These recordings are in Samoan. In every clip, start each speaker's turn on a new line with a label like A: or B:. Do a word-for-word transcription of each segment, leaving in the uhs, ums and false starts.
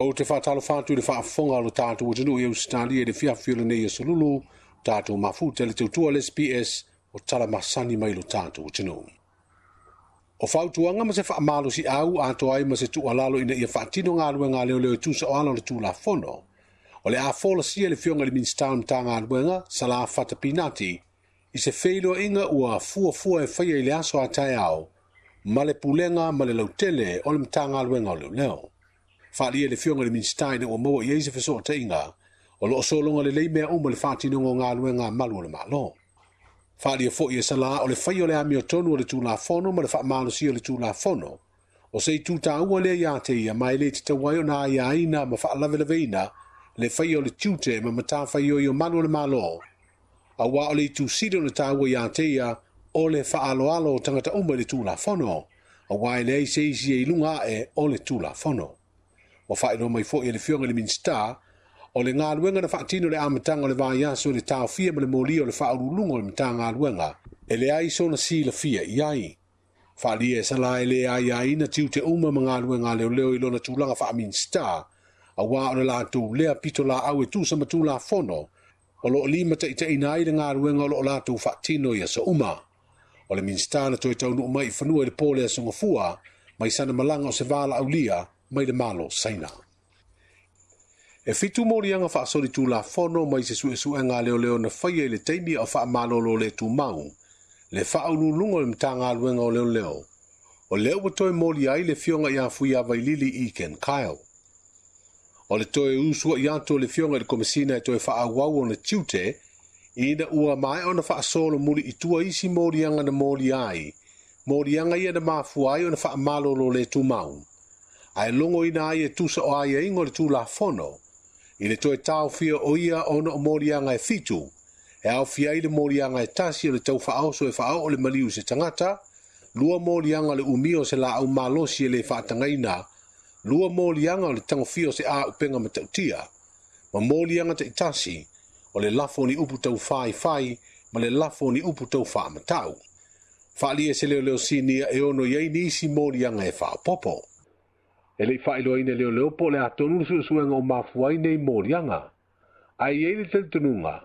A: Ou te faatalofa atu i le faafofoga o lo tatou atunuu i Ausetalia i le fiafi o lenei aso Lulu, tatou mafuta i le tautua le S B S o tala masani mai lo tatou atunuu. O fautuaga ma se faamalosiau atoa ai ma se tuualalo ina ia faatino galuega a leoleo e tusa o ala o le Tulafono. O le a folasia le Afioga i le Minisita o le Matagaluega, Salā Fata Pinati, i se feiloaiga ua fuafua e faia i le aso a taeao ma le pulega ma le lautele o le Matagaluega o Leoleo. Faaalia le Afioga i le Minisita ina ua maua i ai se fesootaiga o loo sologa lelei mea uma le faatinoga o galuega a malu o le Malo. Faaalia foi e Salā o le fai o le amiotonu o le Tulafono ma le faamalosia o le Tulafono o se itu taua lea ia te ia ma e le tatau ai ona aiaina ma faalavelaveina le faia o le tiute ma matafaioi o malu o le Malo, auā o le itu sili ona taua ia te ia o le faaaloalo o tagata uma i le Tulafono, auā e leai se isi e i luga ae o le Tulafono. Ua faailoa mai foi e le Afioga i le Minisita o le galuega na faatino le amataga o le vaiaso i le taofia ma le molia o le faauluuluga o le Matagaluega e leai sona silafia i ai. Faaalia e Salā e le aiaina tiute uma ma galuega a leoleo i lona tulaga faa-Minisita, auā o le latou lea pitolaau e tusa ma Tulafono o loo limataitaiina ai le galuega o loo latou faatino i aso uma. O le Minisita na toe taunuu mai i fanua i le po le aso Gafua mai sana malaga o se valaaulia mai le Malo Saina. E fitu moliaga faasoli Tulafono mai se suesuega a leoleo na faia i le taimi o faamalolo le tumau, le faauluuluga o le Matagaluega o Leoleo, o lea ua toe molia ai le Afioga ia Fuiavailili Ekin Kyle. O le toe usuai atu o le Afioga i le Komesina e toe faaauau ona tiute, ina ua maea ona faasolo muli i tua isi moliaga na molia ai, moliaga ia na mafua ai ona faamalolo le tumau. Ae logoina ai e tusa o aiaiga o le Tulafono, i le toe taofia o ia ona o moliaga e fitu, e aofia ai le moliaga e tasi o le tau faaoso e faaoo le maliu se tagata, lua moliaga o le umia o se laau malosi e le faatagaina, lua moliaga o le tagofia o se auupega matautia, ma moliaga taitasi o le lafo ni upu tau faifai ma le lafo ni upu tau faamatau. Faaalia se leoleo sinia e ono i ai nisi moliaga e faaopopo. E lei faailoaina leoleo po o le atonu le suesuega o mafua ai nei moliaga. Ae i ai le talitonuga,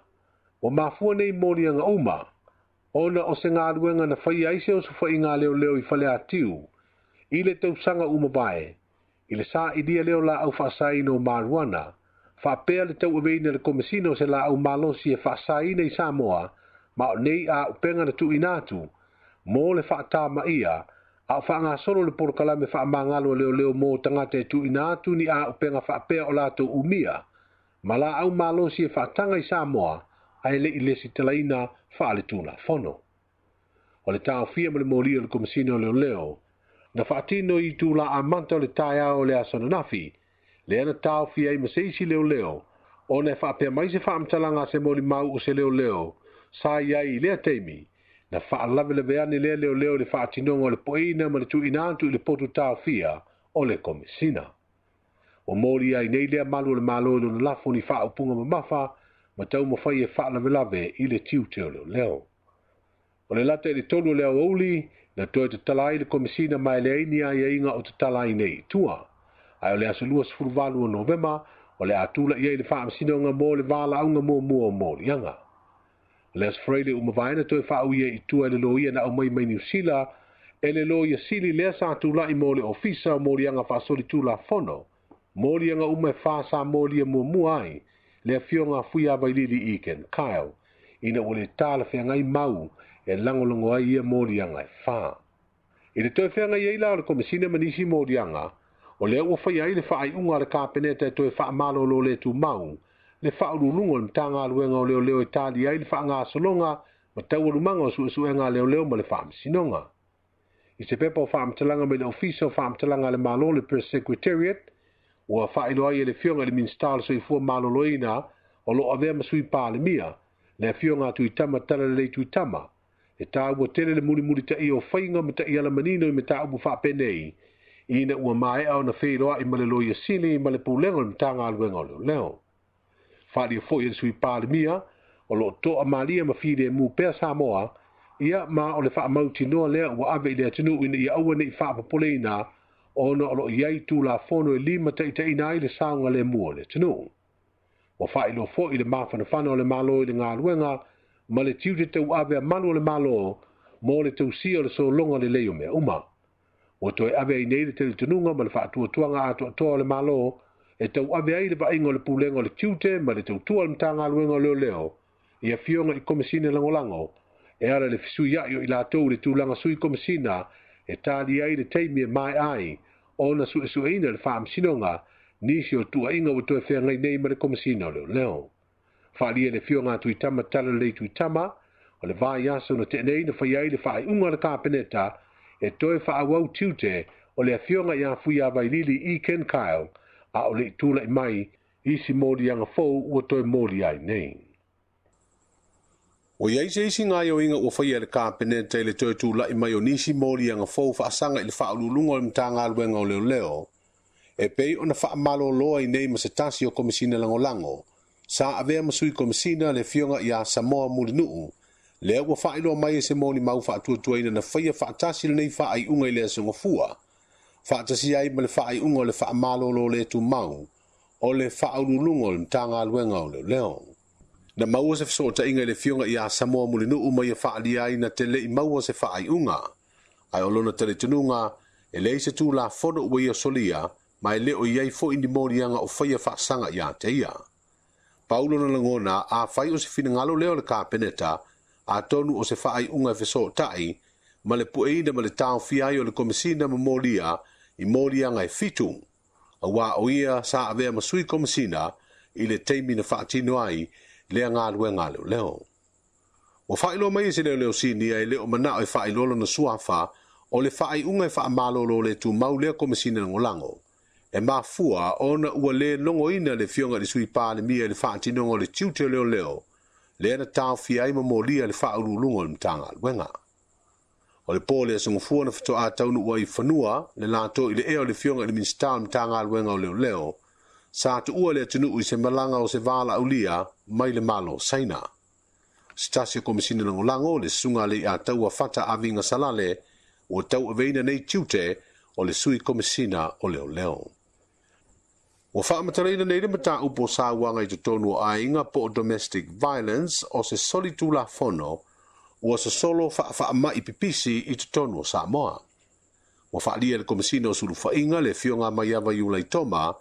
A: ua mafua nei moliaga uma, ona o se galuega na faia ai se osofaiga a leoleo i Faleatiu, i le tausaga uma vae, i le sailia lea o laau faasaina o marijuana, faapea le tauaveina le Komesina o se laau malosi e faasaina i Samoa, ma o nei auupega na tuuina atu, mo le faatamaia, a o faagasolo le polokalame faamagalo a leoleo mo tagata e tuuina atu ni auupega faapea o latou umia, ma laau malosi e faataga i Samoa, ae le i lesitalaina faale-Tulafono. O le taofia ma le molia o le Komesina o Leoleo, na faatino i itula amata o le taeao o le aso ananafi, lea na taofia ai ma se isi leoleo, ona e faapea mai se faamatalaga a se molimau o se leoleo, sa i ai i lea taimi, na faalavelave ane lea leoleo i le faatinoga o le poeina ma le tuuina atu i le potu taofia o le Komesina. Ua molia ai nei lea malu o le Malo i lona lafo ni faaupuga mamafa, ma taumafai e faalavelave i le tiute o leoleo. O le lata i le tolu o le aoauli, na toe tatala ai le Komesina ma e leai ni aiaiga o tatala ai nei i tua. Ae o le aso luasefulu valu o Novema, o le a tula'i ai le faamasinoga mo le valaauga muamua o moliaga. O le aso Faraile uma vaena toe faauia i tua e le loia na aumai mai Niu Sila, e le loia sili lea sa tula'i mo le ofisa o moliaga faasoli Tulafono, moliaga uma e fa sa molia muamua ai, le Afioga Fuiavailili Ekin Kyle, ina ua le talafeagai mau e lagolago ai ia moliaga e fa. I le toe feagai ai la o le Komesina ma nisi moliaga, o lea ua faia ai le faaiuga a le Kapeneta e toe faamalolo le tumau, le faauluuluga o le Matagaluega o Leoleo e tali ai le faagasologa ma taualumaga o suesuega a leoleo ma le faamasinoga. I se pepa o faamatalaga mai le Ofisa o Faamatalaga a le Malo le Press Secretariat, ua faailoa ai e le Afioga i le Minisita o le Soifua Maloloina o loo avea ma sui Palemia, le Afioga a Tuitama Talalelei Tuitama, e taua tele le mulimulitaia o faiga ma taiala manino i mataupu faapenei, ina ua maea ona feiloai ma le Loia Sili ma le pulega o le Matagaluega o Leoleo. Faaalia foi e le sui Palemia, o loo toa malia ma filemu pea Samoa, ia ma o le faamautinoa lea ua ave i le atunuu ina ia aua nei faapopoleina ona o loo i ai Tulafono e lima taitaiina ai le saogalemu o le atunuu. Ua faailoa foi le mafanafana o le Malo i le galuega ma le tiute tauave a malu o le Malo mo le tausia o le sologa lelei o mea uma. Ua toe ave ai nei le talitonuga ma le faatuatuaga atoatoa o le Malo e tauave ai le vaaiga o le pulega o le tiute ma le tautua o le Matagaluega o Leoleo i afioga i Komesina Lagolago e ala i le fesuiai o i latou i le tulaga sui Komesina e tali ai le taimi e maea ai ona suesueina le faamasinoga nisi o tuuaiga ua toe feagai nei ma le Komesina o Leoleo. Faaalia le afioga a Tuitama Talalelei Tuitama o le vaiaso na tea nei na fai ai le faaiuga a le Kapeneta e toe faaauau tiute o le afioga ia Fuiavailili E. Ken Kyle a o le i tulai mai isi moliaga fou ua toe moli ai nei. Ua i ai se isi gaoioiga ua faia e le Kapeneta i le toe tulai mai o nisi moliaga fou faasaga i le faauluuluga o le Matagaluega o Leoleo e pei ona faamalolo ai nei ma se tasi o Komesina Lagolago sa avea ma sui Komesina le afioga ia Samoa Mulinuu lea ua faailoa mai e se molimau faatuatuaina na faia faatasi lenei faaiuga i le aso Gafua faatasi ai ma le faaiuga o le faamalolo le tumau o le faauluuluga o le Matagaluega o Leoleo. Na maua se fesootaiga i le afioga ia Samoa Mulinuu ma ia faaalia ai na te le'i maua se faaiuga ae o lona talitonuga e leai se Tulafono ua ia solia ma e le o i ai foi ni moliaga o faia faasaga ia te ia. Paulo na lagona a fai o se finagalo lea o le Kapeneta atonu o se faaiuga e fesootai ma le pueina ma le taofia ai o le Komesina ma molia i moliaga e fitu auā o ia sa avea ma sui Komesina i le taimi na faatino ai lea galuega a leoleo. Ua faailoa mai e se leoleo sinia e le o manao e faailoa lona suafa o le faaiuga e faamalolo le tumau lea Komesina Lagolago e mafua ona ua lē logoina le afioga i le sui Palemia i le faatinoga o le tiute o leoleo lea na taofia ai ma molia le faauluuluga o le Matagaluega. O le po le aso Gafua na faatoa taunuu ai i fanua le latou i le ea o le afioga i le Minisita o le Matagaluega o Leoleo sa tuua le atunuu i se malaga o se valaaulia mai le Malo o Saina. Se tasi o Komesina Lagolago le susuga a Leiataua Fata Aviga Salale ua tauaveina nei tiute o le sui Komesina o Leoleo. Ua faamatalaina nei le mataupu o sauaga i totonu o aiga po o domestic violence o se soli Tulafono ua sosolo faafaamai pipisi i totonu o Samoa. Ua faalia le Komesina o Sulufaiga le afioga Maiava Iulaitoma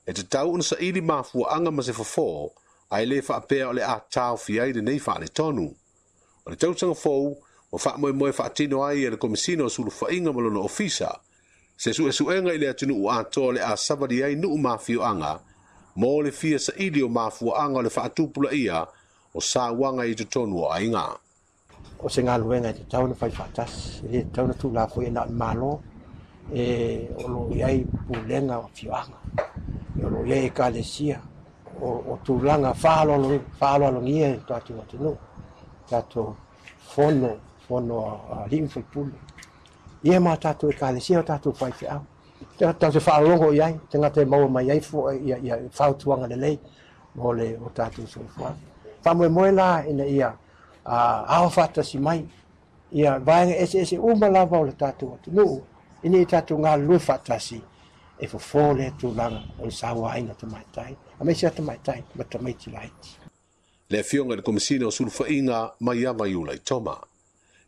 A: e tatau ona saili mafuaaga ma se fofo ae lē faapea o le a taofia ai lenei faaletonu. O le tausaga fou ua faamoemoe faatino ai e le Komesina o Sulufaiga ma lona ofisa se suesuega i le atunuu atoa o le a savali ai nuu ma afioaga mo le fia saili o mafuaaga o le faatupulaia o sauaga i totonu o aiga.
B: O se galuega e tatau ona fai faatasi, e lē tatau ona tuulafoai na o le Malo, e o loo i ai pulega o afioaga, e o loo i ai ekalesia, o, o tulaga faaaloalogia i le tatou atunuu, tatou fono fono a alii ma faipule ia ma tatou ekalesia o tatou faifeau tatou te faalologo i ai tagata e maua mai ai ia, ia fautuaga lelei mo le o tatou soifuaga. Faamoemoe la ina ia ao faatasi mai ia vaega eseese uma lava o le tatou atunuu ina ia tatou galulue faatasi e fofo lea tulaga o le sauaina tamaitai aemaise a tamaitai ma tamaiti laiti.
A: Le afioga i le Komesina o Sulufaiga Maiava Iulaitoma.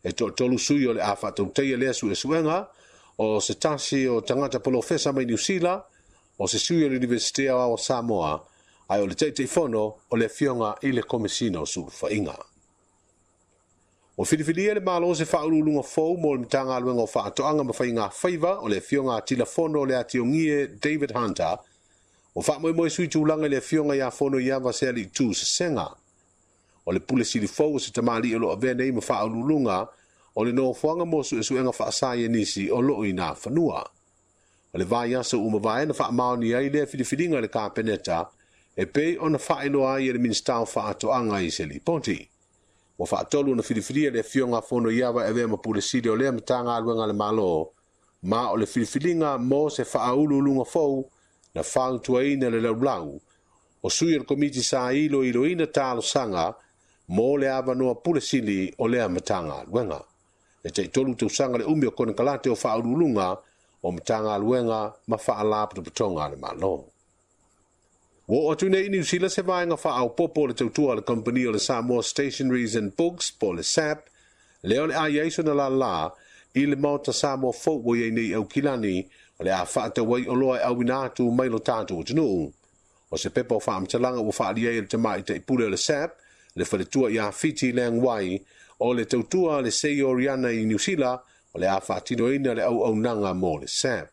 A: E toatolu sui o le a faatautaia lea suesuega o se tasi o tagata polofesa mai Niusila, o se sui o le Iunivesite Aoao o Samoa, ae o le Taitaifono o le afioga i le Komesina o Sulufaiga. Ua filifilia le Malo se faauluuluga fou mo le Matagaluega o Faatoaga ma Faiga Faiva o le afioga a Tilafono o le Atiogie David Hunter. Ua faamoemoe sui tulaga i le afioga ia Fonoiava Sealiitu Sesega. O le pule sili fou o se tamalii o loo avea nei ma faauluuluga o le nofoaga mo suesuega faasaienisi o loo i nā fanua. O le vaiaso ua mavae na faamaonia ai lea filifiliga i le Kapeneta e pei ona faailoa ai e le Minisita o Faatoaga i se lipoti. Ua faatolu ona filifilia le afioga a Fonoiava e avea ma pule sili o lea Matagaluega a le Malo, ma o le filifiliga mo se faauluuluga fou na fautuaina le laulau o sui o le komiti sa iloiloina talosaga mo le avanoa pule sili o lea Matagaluega. E taitolu tausaga le umi o konekarate o faauluuluga o Matagaluega ma Faalapotopotoga a le Malo. Ua oo atu nei i Niu Sila se vaega faaopoopo o le tautua a le kamupani o le Samoa Stationeries and Books po o le S A P, lea o le a i ai sona lālā i le Maota Samoa fou ua i ai nei i Aukilani, o le a faatau ai oloa e auina atu mai lo tatou atunuu. O se pepa o faamatalaga ua faaalia ai e le tamaitai pule o le S A P, le faletua ia Fiti Leang Wai, o le tautua a le Seioriana i Niu Sila, o le a faatinoina le auaunaga mo le S A P.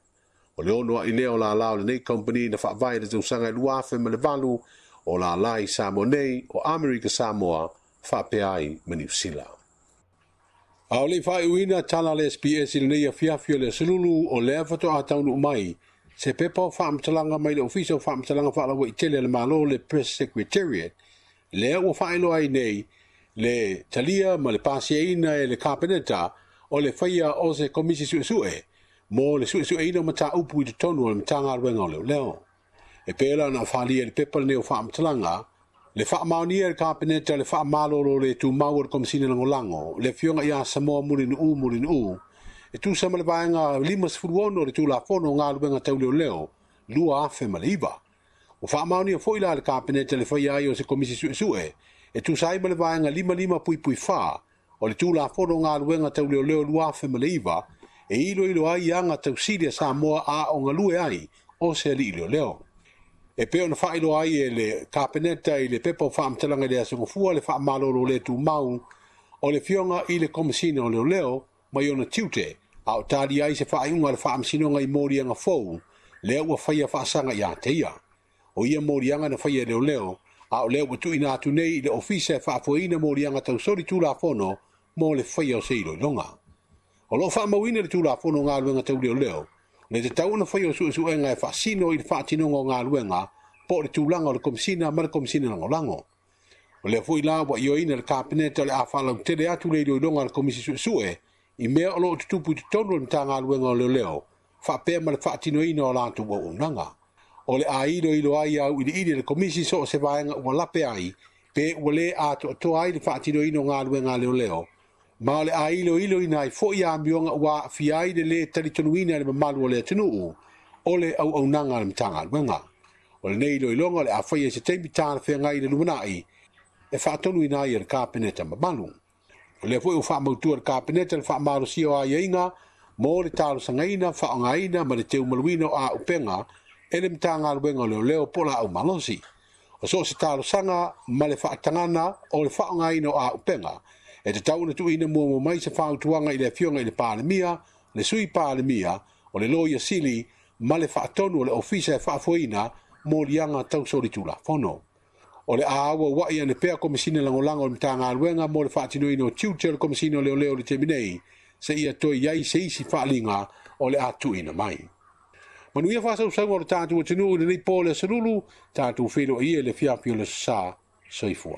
A: O le ono ai lea o lālā o lenei kompani na faavae i le tausaga e lua afe ma le valu, o lālā i Samoa nei, o Amerika Samoa, faapea ai ma Niu Sila. A o le faaiuina tala a le S B S i lenei afiafi o le aso Lulu, o lea faatoa taunuu mai se pepa o faamatalaga mai le Ofisa o Faamatalaga Faalauaitele a le Malo, le Press Secretariat, lea ua faailoa ai nei le talia ma le pasiaina e le Kapeneta o le faia o se komisi suesue mo le suesueina o mataupu i totonu o le Matagaluega o Leoleo. E pei la ona faaalia i le pepa lenei o faamatalaga, le faamaonia e le Kapeneta le faamalolo le tumau o le Komesina Lagolago, le afioga ia Samoa Mulinuu Mulinuu, e tusa ma le vaega limasefulu ono o le Tulafono o Galuega Tau Leoleo, lua afe ma le iva. Ua faamaonia foi la le Kapeneta le faia ai o se komisi suesue, e tusa ai ma le vaega lima lima puipui fa o le Tulafono o Galuega Tau Leoleo lua afe ma le iva, e iloilo ai aga tausili a Samoa a o galue ai o se alii leoleo. E pei ona faailoa ai e le Kapeneta i le pepa o faamatalaga i le aso Gafua le faamalolo le tumau o le afioga i le Komesina o Leoleo mai ona tiute, a o talia ai se faaiuga a le Faamasinoga i moliaga fou, lea ua faia faasaga ia te ia. O ia moliaga na faia e leoleo, a o lea ua tuuina atu nei i le Ofisa e faafoeina moliaga tausoli Tulafono mo le faia o se iloiloga. O loo faamauina le Tulafono o Galuega Tau Leoleo, le tatau ona faia o suesuega e faasino i le faatinoga o galuega po o le tulaga o le Komesina ma le Komesina Lagolago. O lea foi la ua ioeina le Kapeneta o le a faalautele atu le iloiloga a le Komisi Suesue i mea o loo tutupu i totonu o le Matagaluega o Leoleo, faapea ma le faatinoina o latou auaunaga. O le a iloilo ai auiliili e le Komisi so o se vaega ua lape ai, pe ua le atoatoa ai le faatinoina o galuega a leoleo, ma o le a iloiloina ai foi amioga ua aafia ai le lē talitonuina e le mamalu o le atunuu o le auaunaga a le Matagaluega. O lenei iloiloga o le a faia i se taimi talafeagai i le lumanai e faatonuina ai e le Kapeneta mamalu. O lea foi ua faamautua le Kapeneta le faamalosia o aiaiga mo le talosagaina, faaaogaina ma le teumaluina o auupega e le Matagaluega o Leoleo po o laau malosi. O so o se talosaga ma le faatagana o le faaaogaina o auupega e tatau ona tuuina muamua mai se fautuaga i le afioga i le Palemia, le Sui Palemia, o le Loia Sili ma le faatonu o le Ofisa e faafoeina moliaga tausoli Tulafono. O le a auauai ane pea Komesina Lagolago o le Matagaluega mo le faatinoina o tiute o le Komesina o Leoleo i le taimi nei, seia toe i ai se isi faaliga o le a tuuina mai. Manuia faasausauga o le tatou atunuu i lenei po o le aso Lulu, tatou feiloai e le afiafi o le aso Sa. Soifua.